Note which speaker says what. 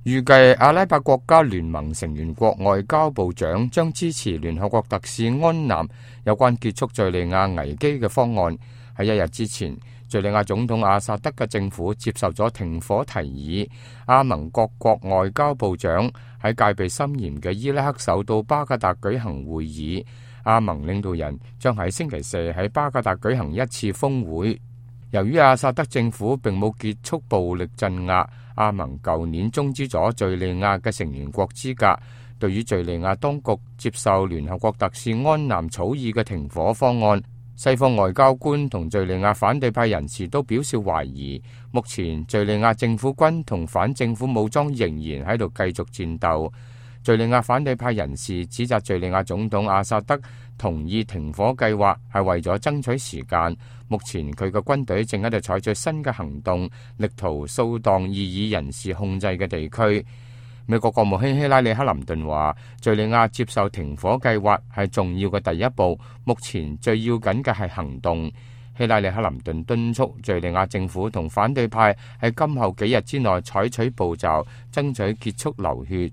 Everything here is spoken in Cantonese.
Speaker 1: 預計阿拉伯國家聯盟成員國外交部長將支持聯合國特使安南有關結束敘利亞危機嘅方案。喺一日之前，敘利亞總統阿薩德嘅政府接受咗停火提議。阿盟各國外交部長喺戒備森嚴嘅伊拉克首都巴格達舉行會議。阿盟領導人將喺星期四喺巴格達舉行一次峰會。由於阿薩德政府並冇結束暴力鎮壓，阿盟舊年終止咗敘利亞嘅成員國資格。對於敘利亞當局接受聯合國特使安南草擬嘅停火方案，西方外交官同敘利亞反對派人士都表示懷疑。目前敘利亞政府軍同反政府武裝仍然喺度繼續戰鬥。敘利亞反對派人士指責敘利亞總統阿薩德同意停火計劃係為咗爭取時間。目前佢嘅軍隊正喺度採取新嘅行動，力圖掃蕩異議人士控制嘅地區。美國國務卿希拉里克林頓話，敘利亞接受停火計劃係重要嘅第一步，目前最要緊嘅係行動。希拉里克林頓敦促敘利亞政府同反對派喺今後幾日之內採取步驟，爭取結束流血。